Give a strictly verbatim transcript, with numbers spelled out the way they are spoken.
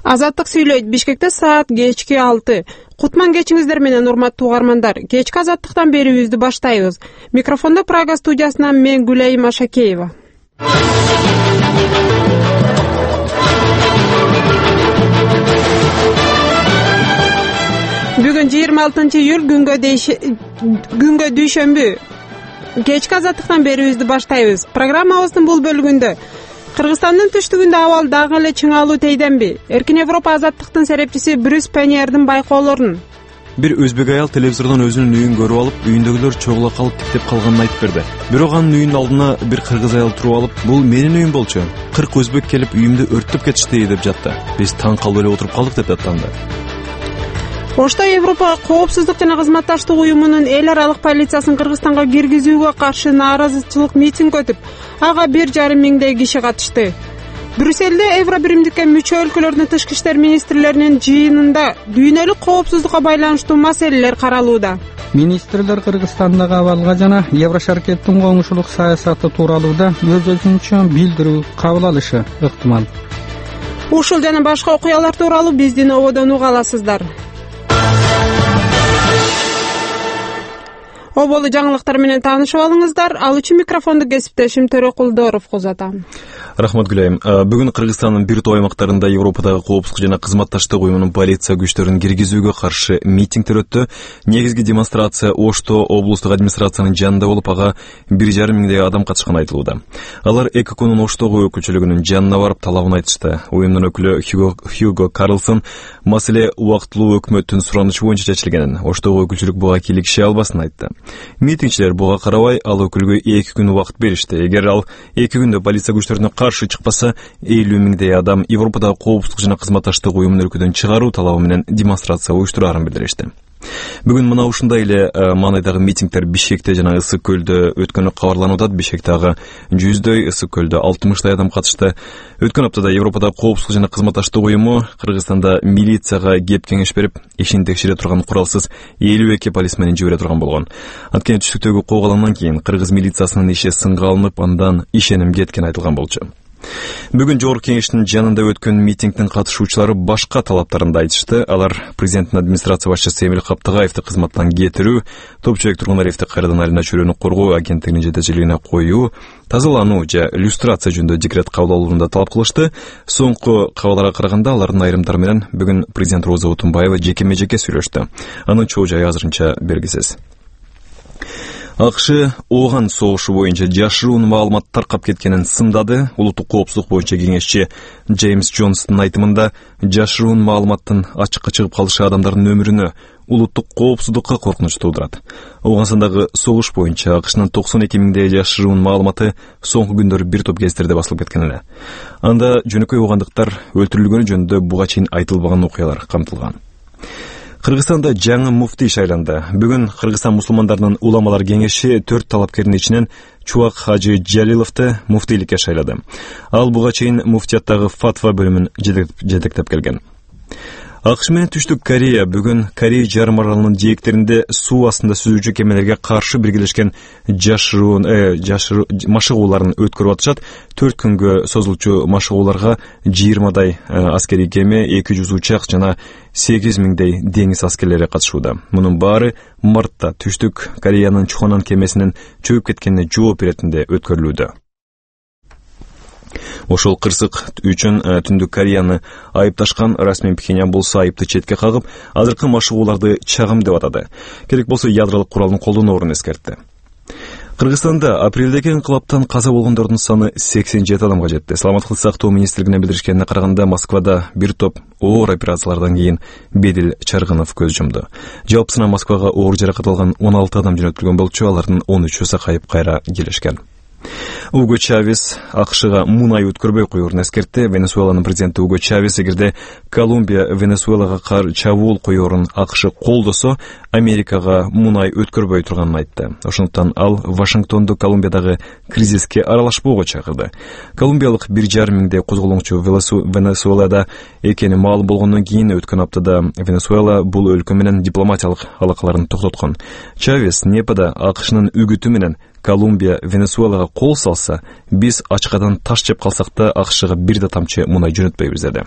Азаттык сүйлөйт. Бишкекте саат кечки алты. Кутман кечиңиздер менен, урматтуу угармандар. Кечки Азаттыктан берүүбүздү баштайбыз. Микрофондо Прага студиясынан мен Гүлайым Ашакеева. Бүгүн жыйырма алтынчы июль күнгө күнгө дүйшөмбү. Кечки Азаттыктан берүүбүздү баштайбыз. Программабыздын бул бөлүгүндө Кыргызстандын түштүгүндө абал дагы эле чыңалуу тейденби? Эркин Европа азаттыктын серепчиси Брюс Пеньердин байкоолорун. Бир өзбек аял телевизордон өзүнүн үйүн көрүп алып, үйүндөгүлөр чогула калып тиктеп калганын айтып берди. Бирок анын үйүнүн алдына бир кыргыз аял туруп алып, "Бул менин үйүм болчу. кырк өзбек келип үйүмдү өрттөп кетишти" деп жатты. Биз таң калып эле отуруп калдык деп аттанды. Ошто Европа коопсуздук жана кызматташтык уюмунун эл аралык полициясын Кыргызстанга киргизүүгө каршы нааразычылык митинг өтүп, ага бир жарым миңдей киши катышты. Брюсселде Евро биримдикке мүчө өлкөлөрдүн тышкы иштер министрлеринин жыйынында дүйнөлүк коопсуздукка байланыштуу маселелер каралууда. Министрлер Кыргызстандагы абалга жана Евро шаркеттин коңшулук саясаты тууралууда өз-өзүнчө билдирүү кабыл алышы ыктымал. Ушул жана башка окуялар тууралуу биздин ободон уга аласыздар. Оболу жаңылыктар менен таанышып алыңыздар. Ал үчүн микрофонду кесиптешим Төрөкулдоров узатам. Рахмат Гүлайым. Бүгүн Кыргызстандын бир топ аймактарында Европадагы коопсуздук жана кызматташтык уюмунун полиция күчтөрүн киргизүүгө каршы митингдер өттү. Негизги демонстрация Ошто облустук администрациянын жанында болуп, ага бир жарым миңдей адам катышканы айтылууда. Алар ЭККнун Оштогу өкүлчүлүгүнүн жанына барып талабын айтышты. Уюмдун өкүлү Хьюго, Хьюго Карлсон маселе убактылуу өкмөттүн суранычы боюнча чечилгенин, Оштогу өкүлчүлүк буга кийлигише албасын айтты. Митингчилер буга карабай ал өкүлгө эки күн убакыт беришти. Эгер ал эки күндө полиция күчтөрүнө каршы чыкпаса, элүү миңдей адам Европадагы коопсуздук жана кызматташтык уюмун өлкөдөн чыгаруу талабы менен демонстрация уюштураарын билдиришти. Бүгүн мына ушундай эле маанайдагы митингдер Бишкекте жана Ысык көлдө өткөнү кабарланууда. Бишкектагы жүздөй, Ысык көлдө алтымыштай адам катышты. Өткөн аптада Европадагы коопсуздук жана кызматташтык уюму Кыргызстанда милицияга кеп кеңеш берип, ишин текшере турган куралсыз элүү эки полисменин жибере турган болгон. Анткени түштүктөгү коогаландан кийин кыргыз милициясынын иши сынга алынып, андан ишеним кеткен айтылган болчу. Бүгүн жогорку кеңештин жанында өткөн митингдин катышуучулары башка талаптарын айтышты. Алар президенттин администрация башчысы Эмил Каптыгаевди кызматтан кетирүү, Топчубек Тургунариевди кайрадан Алина Чөлөнү коргоо агенттигинин жетекчилигине коюу, тазалануу же люстрация жөнүндө декрет кабыл алууну да талап кылышты. Соңку кабарларга караганда алардын айрымдары менен бүгүн президент Роза Отунбаева жекеме-жеке сүйлөштү. Анын чоо жайы азырынча белгисиз. АКШ Ооган согушу боюнча жашыруун маалымат таркап кеткенин сындады. Улуттук коопсуздук боюнча кеңешчи Джеймс Джонстун айтымында, жашыруун маалыматтын ачыкка чыгып калышы адамдардын өмүрүнө, улуттук коопсуздукка коркунуч туудурат. Оогансындагы согуш боюнча АКШнын токсон эки миңдей жашыруун маалыматы соңку күндөрү бир топ гезиттерде басылып кеткен эле. Анда жөнөкөй оогандыктар өлтүрүлгөнү жөнүндө буга чейин айтылбаган окуялар камтылган. Кыргызстанда жаңы муфтий шайланды. Бүгүн Кыргызстан мусулмандарынын уламалар кеңеши төрт талапкердин ичинен Чубак Хажы Жалиловду муфтийликке шайлады. Ал буга чейин муфтияттагы фатва бөлүмүн жетектеп келген. АКШ менен Түштүк Корея бүгүн Корея жарым аралынын жээктеринде суу астында сүзүүчү кемелерге каршы биргелешкен жашыруун э, жашыруу машыгууларын өткөрүп атышат. төрт күнгө созулчу машыгууларга жыйырмадай аскерий кеме, эки жүз учак жана сегиз миңдей деңиз аскерлери катышууда. Мунун баары мартта Түштүк Кореянын Чухонан кемесинин чөгүп кеткенине жооп беретинде өткөрүлүүдө. Ошол кырсык үчүн Түндүк Кореяны айыпташкан расмий Пхеньян болсо айыпты четке кагып, азыркы машыгууларды чагым деп атады. Керек болсо ядролук куралын колдоноорун эскертти. Кыргызстанда апрелдеги инкылаптан каза болгондордун саны сексен жети адамга жетти. Саламаттык сактоо министрлигине билдиришкенине караганда, Москвада бир топ оор операциялардан кийин Бедил Чаргынов көз жумду. Жалпысынан Москвага оор жаракат алган он алты адам жөнөтүлгөн болчу, алардын он үчөө сакайып кайра келишкен. Уго Чавес АКШга мунай өткөрбөй коюурун эскертти. Венесуэланын президенти Уго Чавес эгерде Колумбия Венесуэлага кар чабуул коюурун АКШ колдосо, Америкага мунай өткөрбөй турганын айтты. Ошондуктан ал Вашингтонду Колумбиядагы кризиске аралашпоого чакырды. Колумбиялык бир жарым миңдей козголоңчу Венесуэлада экени маалым болгондон кийин өткөн аптада Венесуэла бул өлкө менен дипломатиялык алакаларын токтоткон. Чавес Непада АКШнын үгүтү менен Колумбия Венесуэлага кол салса, биз ачкадан таш жеп калсак да АКШга бир да тамчы мунай жөнөтпөйбүз деди.